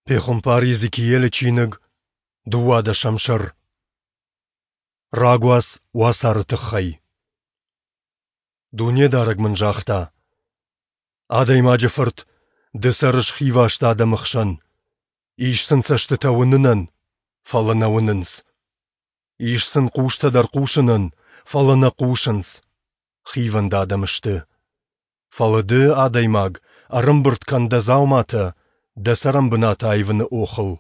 Пехуымпар Йезекиелы чиныг, дыууадӕсӕм сӕр. Рагуац уацары тыххӕй. Дунедарӕг мын загъта: Адӕймаджы фырт, ды цӕрыс хиваст адӕмы хсӕн. Ис сын цӕстытӕ уынынӕн, фӕлӕ нӕ уынынц. Ис сын хъустӕ дӕр хъусынӕн, фӕлӕ нӕ хъусынц. Хивӕнд адӕм сты. Фӕлӕ ды, адӕймаг, ӕрӕмбырд кӕн дӕ дзауматӕ дӕ цӕрӕнбынат аивыны охыл,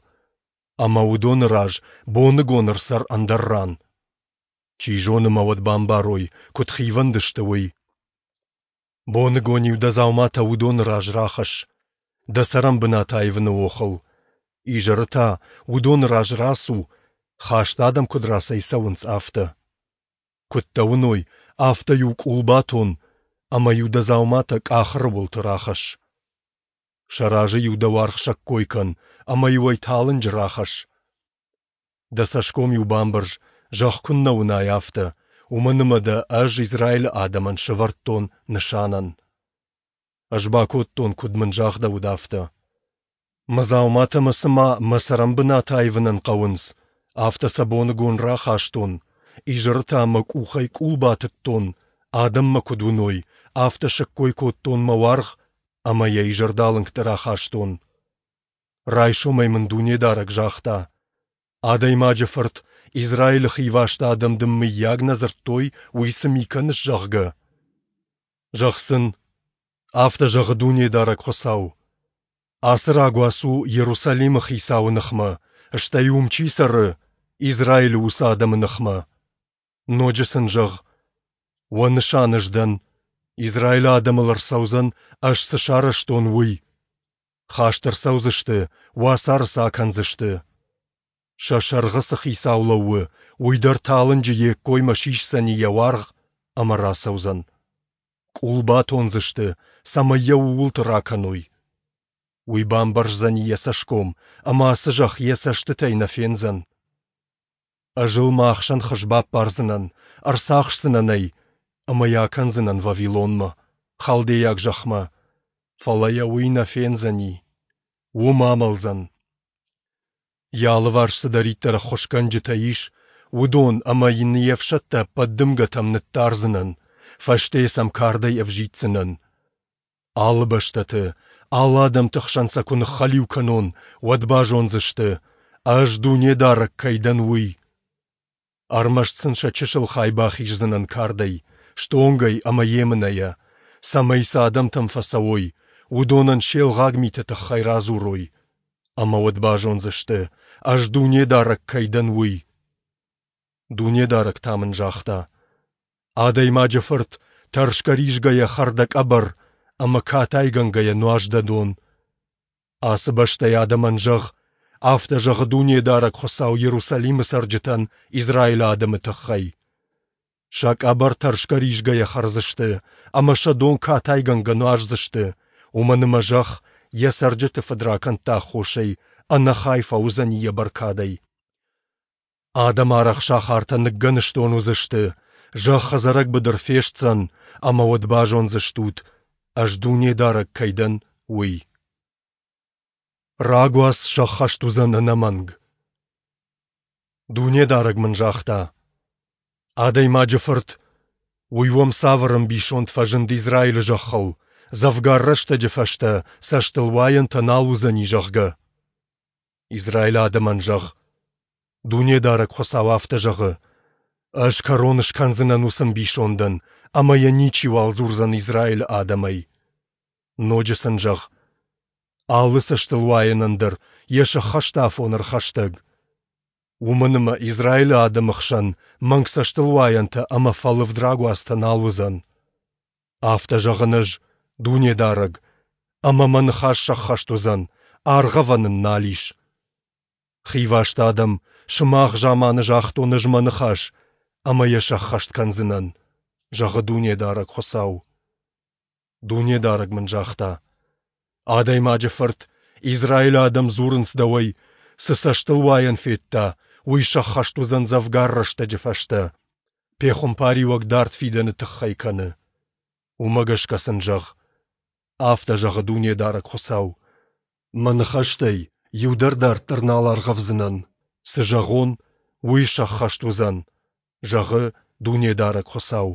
ӕмӕ уыдоны раз боныгон ӕрцӕр ӕндӕр ран. Чи зоны мӕ уӕд бамбарой, куыд хивӕнд сты, уый. Боныгон-иу дӕ дзауматӕ уыдоны раз рахӕсс, дӕ цӕрӕнбынат аивыны охыл. Изӕры та уыдоны раз рацу, хаст адӕм куыд рацӕйцӕуынц, афтӕ. Куыд дӕ уыной, афтӕ-иу къул батон ӕмӕ-иу дӕ дзауматӕ къахыры уылты рахӕсс. Сӕ разы-иу дӕ уаргъ сӕккой кӕн ӕмӕ-иу ӕй талынджы рахӕсс. Дӕ цӕсгом-иу бамбӕрз, зӕхх куыннӕ уынай, афтӕ, уымӕн ӕмӕ дӕ Ӕз Израилы адӕмӕн сӕвӕрдтон нысанӕн. Ӕз бакодтон, куыд мын загъдӕуыд, афтӕ. Мӕ дзауматӕ мӕ цыма мӕ цӕрӕнбынат аивынӕн хъӕуынц, афтӕ сӕ боныгон рахастон, изӕры та мӕ къухӕй къул батыдтон, адӕм мӕ куыд уыной, афтӕ сӕккой кодтон мӕ уаргъ ӕмӕ йӕ изӕрдалынгты рахастон. Райсомӕй мын Дунедарӕг загъта: Адӕймаджы фырт, Израилы хиваст адӕм дын мыййаг нӕ дзырдтой, уый цы ми кӕныс, зӕгъгӕ? Зӕгъ сын, афтӕ зӕгъы Дунедарӕг Хуыцау: Ацы рагуац у Иерусалимы хицауы ныхмӕ, стӕй уым чи цӕры, Израилы уыцы адӕмы ныхмӕ. Ноджы сын зӕгъ: Уӕ нысан ӕз дӕн, Израилы адӕмыл ӕрцӕудзӕн, ӕз цы сарӕзтон, уый. Хаст ӕрцӕудзысты, уацары сӕ акӕндзысты. Сӕ сӕргъы цы хицау лӕууы, уый дӕр талынджы йе ккоймӕ сисдзӕни йӕ уаргъ ӕмӕ рацӕудзӕн. Къул батондзысты, цӕмӕй йӕ ууылты ракӕной. Уый бамбӕрздзӕни йӕ цӕсгом, ӕмӕ ацы зӕхх йӕ цӕстытӕй нӕ фендзӕн. Ӕз ыл мӕ ахсӕн хыз баппардзынӕн, ӕрцахсдзынӕн ӕй ӕмӕ йӕ акӕндзынӕн Вавилонмӕ, халдейаг зӕхмӕ, фӕлӕ йӕ уый нӕ фендзӕни, уым амӕлдзӕн. Йӕ алыварс цыдӕриддӕр ӕххуысгӕнджытӕ ис, уыдон ӕмӕ йын йе фсӕдтӕ ӕппӕт дымгӕтӕм ныддардзынӕн, фӕстейы сӕм кардӕй ӕвзиддзынӕн. Алы бӕстӕты, алы адӕмты хсӕн сӕ куы ныххӕлиу кӕнон, уӕд базондзысты, Ӕз Дунедарӕг кӕй дӕн, уый. Ӕрмӕст сын сӕ чысыл хай бахиздзынӕн кардӕй, стонгӕй ӕмӕ емынӕйӕ, цӕмӕй цы адӕмтӕм фӕцӕуой, уыдонӕн се лгъаг миты тыххӕй радзурой. Ӕмӕ уӕд базондзысты, Ӕз Дунедарӕг кӕй дӕн, уый. Дунедарӕг та мын загъта: Адӕймаджы фырт, тӕрсгӕ-ризгӕйӕ хӕр дӕ къӕбӕр ӕмӕ катайгӕнгӕйӕ нуаз дӕ дон. Ацы бӕстӕйы адӕмӕн зӕгъ, афтӕ зӕгъы Дунедарӕг Хуыцау Иерусалимы цӕрджытӕн Израилы адӕмы тыххӕй. Сӕ къӕбӕр тӕрсгӕ-ризгӕйӕ хӕрдзысты ӕмӕ сӕ дон катайгӕнгӕ нуаздзысты, уымӕн ӕмӕ зӕхх йӕ цӕрджыты фыдракӕндты аххосӕй ӕнӕхай фӕуыдзӕни йӕ бӕркадӕй. Адӕм арӕх сахартӕ ныггӕныстон уыдзысты, зӕхх ӕдзӕрӕг быдыр фестдзӕн, ӕмӕ уӕд базондзыстут, Ӕз Дунедарӕг кӕй дӕн, уый. Рагуац сӕххӕст уыдзӕн ӕнӕмӕнг. Дунедарӕг мын загъта: Адӕймаджы фырт, уый уӕм цавӕр ӕмбисонд фӕзынд Израилы зӕххыл, дзӕвгар рӕстӕджы фӕстӕ цӕстылуайӕнтӕ нал уыдзӕни, зӕгъгӕ? Израилы адӕмӕн зӕгъ: Дунедарӕг Хуыцау афтӕ зӕгъы: Ӕз кӕрон скӕндзынӕн уыцы ӕмбисондӕн, ӕмӕ йӕ ничиуал дзурдзӕн Израилы адӕмӕй. Ноджы сын зӕгъ: Алы цӕстылуайӕнӕн дӕр йӕ сӕххӕсты афон ӕрхӕстӕг. Уымӕн ӕмӕ Израилы адӕмы хсӕн мӕнг цӕстылуайӕнтӕ ӕмӕ фӕлывд рагуацтӕ нал уыдзӕн. Афтӕ зӕгъын Ӕз, Дунедарӕг, ӕмӕ мӕ ныхас сӕххӕст уыдзӕн, аргъӕвӕн ын нал ис. Хиваст адӕм, сымах заманы загътон ӕз мӕ ныхас, ӕмӕ йӕ сӕххӕст кӕндзынӕн, зӕгъы Дунедарӕг Хуыцау. Дунедарӕг мын загъта: Адӕймаджы фырт, Израилы адӕм дзурынц дӕуӕй, цы цӕстылуайӕн федта, уый сӕххӕст уыдзӕн дзӕвгар рӕстӕджы фӕстӕ. Пехуымпариуӕг дард фидӕны тыххӕй кӕны. Уымӕ гӕсгӕ сын зӕгъ: Афтӕ зӕгъы Дунедарӕг Хуыцау: Мӕ ныхӕстӕй Иу дӕр дарддӕр нал аргъӕвдзынӕн. Цы зӕгъон, уый сӕххӕст уыдзӕн, зӕгъы Дунедарӕг Хуыцау.